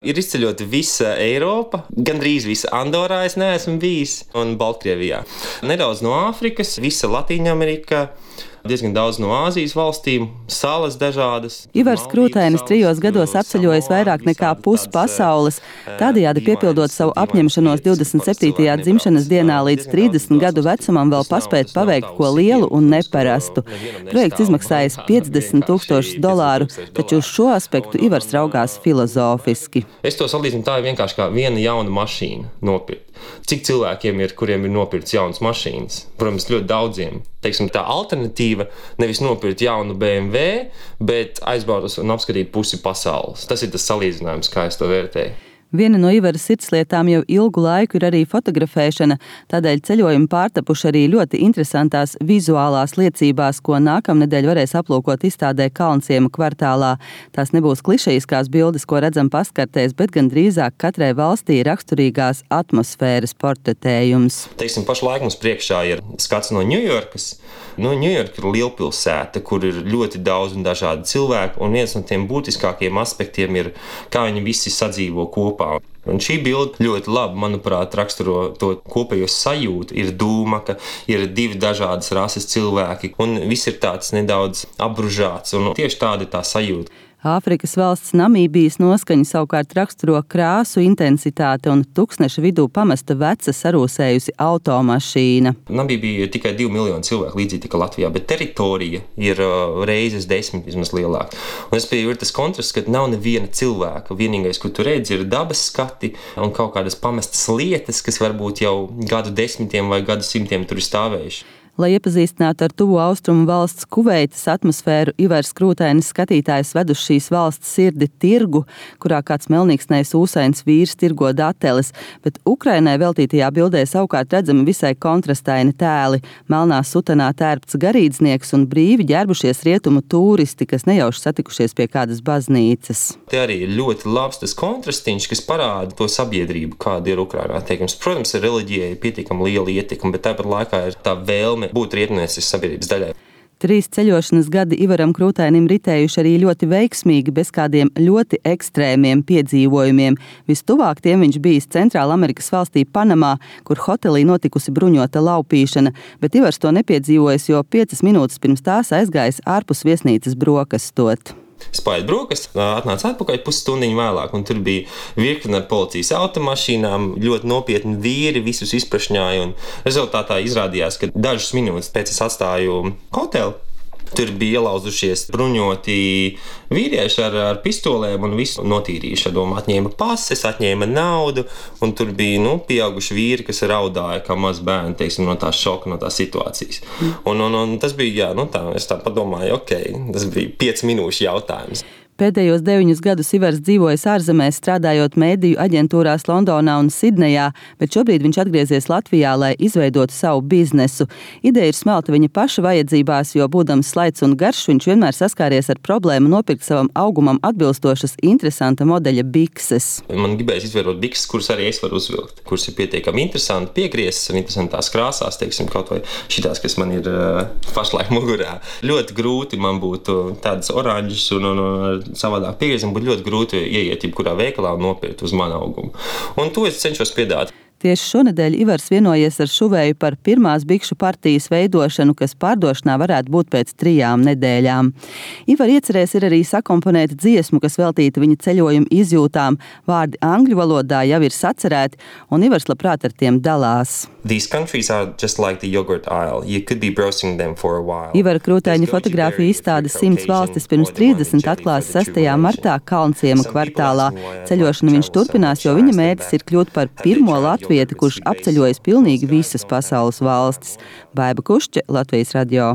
Ir izceļota visa Eiropa, gandrīz visa Andorā es neesmu bijis, un Baltkrievijā. Nedaudz no Āfrikas, visa Latīņamerika, diezgan daudz no Āzijas valstīm, salas dažādas. Ivars Krūtainis 3 gados apceļojis vairāk nekā pusi pasaules, tādējādi piepildot savu apņemšanos 27. dzimšanas dienā līdz 30 gadu vecumam vēl paspēt paveikt ko lielu un neparastu. Projekts izmaksājis $50,000, taču uz šo aspektu Ivars raugās filozofiski. Es to salīdzinu tā vienkārši kā viena jauna mašīna nopirkt. Cik cilvēkiem ir, kuriem ir nopirkts jaunas mašīnas? Protams, ļoti daudziem. Teiksim, tā alternatīva nevis nopirkt jaunu BMW, bet aizbraukt un apskatīt pusi pasaules. Tas ir tas salīdzinājums, kā es to vērtēju. Viena no Ivara sirdslietām jau ilgu laiku ir arī fotografēšana, tādēļ ceļojumi pārtapuši arī ļoti interesantās vizuālās liecībās, ko nākamnedēļ varēs aplūkot izstādē Kalnciema kvartālā. Tās nebūs klišejiskās bildes, ko redzam pastkartēs, bet gan drīzāk katrai valstī raksturīgās atmosfēras portretējums. Teiksim, pašlaik mums priekšā ir skats no Ņujorkas. Ņujorka ir lielpilsēta, kur ir ļoti daudz un dažādi cilvēki, un viens no tiem būtiskākajiem aspektiem ir, kā viņi visi sadzīvo kopā. Un šī bilde ļoti labi, manuprāt, raksturo to kopējo sajūtu. Ir dūma, ka ir 2 dažādas rases cilvēki, un viss ir tāds nedaudz apbružāts, un tieši tāda ir tā sajūta. Āfrikas valsts Namībijas noskaņa savukārt raksturo krāsu intensitāti un tūkstneša vidū pamesta veca sarūsējusi automašīna. Namībija ir tikai 2 miljoni cilvēku, līdzīgi kā Latvijā, bet teritorija ir reizes 10 vismaz lielāka. Un es pieeju, ir tas kontrasts, ka nav neviena cilvēka. Vienīgais, ko tu redzi, ir dabas skati un kaut kādas pamestas lietas, kas varbūt jau gadu desmitiem vai gadu simtiem tur ir stāvējuši. Lai iepazīstinātu ar tuvu austrumu valsts Kuveitas atmosfēru, Ivars Krūtainis skatītājs ved uz šīs valsts sirdi tirgu, kurā kāds melnīksnējs ūsains vīrs tirgo dateles, bet Ukrainai veltītajā bildē savukārt redzami visai kontrastaini tēli. Melnā sutanā tērpts garīdznieks un brīvi ģērbušies rietumu tūristi, kas nejauši satikušies pie kādas baznīcas. Te arī ir ļoti labs tas kontrastiņš, kas parāda to sabiedrību, kāda ir Ukrainā. Teikums, protams, ir reliģijai pietiekami liela ietekme, bet tāpat laikā ir tā vēlme būt rietumnieciskas sabiedrības daļai. 3 ceļošanas gadi Ivaram Krūtainim ritējuši arī ļoti veiksmīgi, bez kādiem ļoti ekstrēmiem piedzīvojumiem. Vistuvāk tiem viņš bijis Centrāla Amerikas valstī Panamā, kur hotelī notikusi bruņota laupīšana, bet Ivars to nepiedzīvojis, jo 5 minūtes pirms tās aizgājis ārpus viesnīcas brokastot. Es paiet brokast, atnācu atpakaļ pusstundiņu vēlāk, un tur bija virkne ar policijas automašīnām, ļoti nopietni vīri, visus izprašņāja, un rezultātā izrādījās, ka dažas minūtes pēc es atstāju hotelu. Tur bija ielauzušies bruņoti vīrieši ar pistolēm un visu notīrījuši. Atņēma pases, atņēma naudu, un tur bija pieauguši vīri, kas raudāja kā maz bērni, teiksim, no tās šoka, no tās situācijas. Un tas bija, es tā padomāju, tas bija 5 minūšu jautājums. Pēdējos 9 gadus Ivars dzīvojis ārzemēs, strādājot mēdīju aģentūrās Londonā un Sidnejā, bet šobrīd viņš atgriezies Latvijā, lai izveidotu savu biznesu. Ideja ir smelta viņa paša vajadzībās, jo būdams slaids un garš, viņš vienmēr saskāries ar problēmu nopirkt savam augumam atbilstošas interesanta modeļa bikses. Man gribēs izveidot bikses, kuras arī es varu uzvilkt, kuras ir pietiekami interesanti, piegrieztas un interesantās krāsās, teiksim, kaut vai šitās, kas man ir pašlaik mugurā. Ļoti grūti man būtu tādas oranžas un savādāk piegriezam, būtu ļoti grūti ieiet jebkurā veikalā un nopirkt uz manu augumu. Un to es cenšos piedāvāt. Tieši šonedēļ Ivars vienojies ar šuvēju par pirmās bikšu partijas veidošanu, kas pārdošanā varētu būt pēc 3 nedēļām. Ivar iecerēs ir arī sakomponēt dziesmu, kas veltīta viņa ceļojuma izjūtām. Vārdi angļu valodā jau ir sacerēti, un Ivars labprāt ar tiem dalās. These countries are just like the yogurt aisle. You could be browsing them for a while. Ivara Krūtaina fotogrāfija izstāde 100 valstis pirms 30 atklās 6. martā Kalnciema kvartālā. Ceļošanu viņš turpinās, jo viņa mērķis ir kļūt par pirmo latvieti, kurš apceļojas pilnīgi visas pasaules valstis. Baiba Kušķe, Latvijas radio.